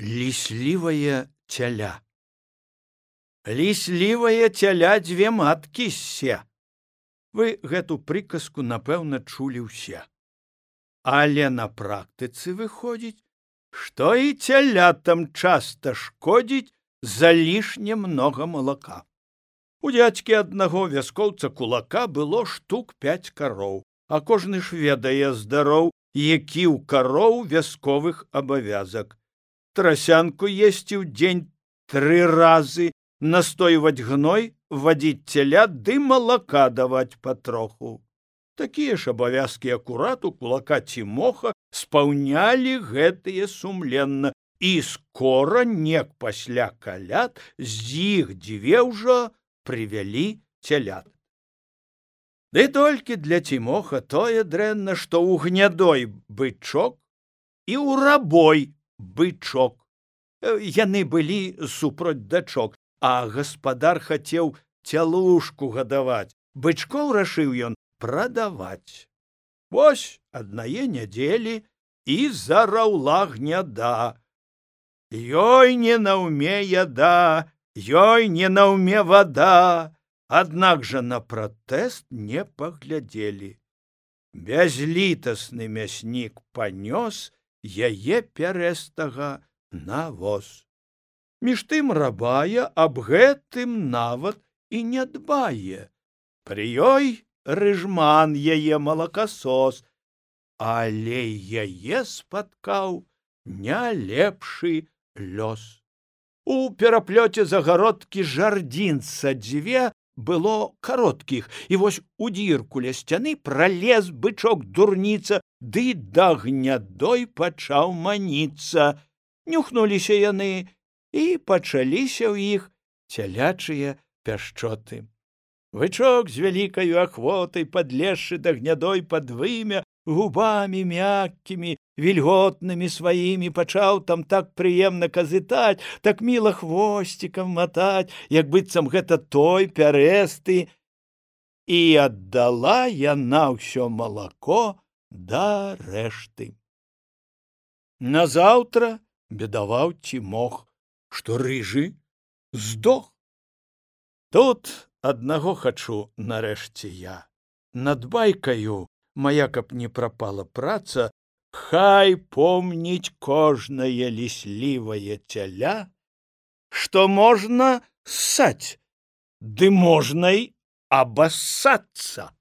Ліслівае цяля. Ліслівае цяля дзве маткі ссе. Вы гэту прыказку, напэўна, чулі ўсе. Але на практыцы выходзіць, што і цялятам часта шкодзіць за лішне многа малака. У дзядзькі аднаго вяскоўца кулака было штук 5 кароў, а кожны ж ведае здароў, які ў кароў вясковых абавязак. Трасянку есці ў дзень 3 разы, настойваць гной, вадзіць цялят ды малака даваць патроху. Такія ж абавязкі акурат у кулака Цімоха спаўнялі гэтыя сумленна, і скора, нек пасля каляд, з іх 2 ўжо прывялі цялят. Ды толькі для Цімоха тое дрэнна, што ў гнядой бычок і ў рабой бычок. Яны былі супроць дачок, а гаспадар хацеў цялушку гадаваць. Бычкоў рашыў ён прадаваць. Вось аднае нядзелі і зараўла гняда. Ёй не на ўме яда, ёй не на ўме вада, аднак жа на пратэст не паглядзелі. Бязлітасны мяснік панёс яе пярэстага на воз. Між тым рабая аб гэтым нават і не дбае. Пры ёй рыжман яе малакасос, але яе спаткаў не лепшы лёс. У пераплёце загародкі жардзінца 2 было кароткіх, і вось у дзірку ля сцяны пралез бычок дурніца, ды да гнядой пачаў маніцца. Нюхнуліся яны, і пачаліся ў іх цялячыя пяшчоты. Бычок з вялікаю ахвотай, падлезшы да гнядой пад вымя, губамі мяккімі, вільготнымі сваімі пачаў там так прыемна казытаць, так міла хвосцікам матаць, як быццам гэта той пярэсты, і аддала яна ўсё малако да рэшты. Назаўтра бедаваў Цімох, што рыжы здох. Тут аднаго хачу нарэшце я. Над байкаю мая, каб не прапала праца, хай помніць кожнае ліслівае цяля, што можна ссаць, ды можна й абассацца.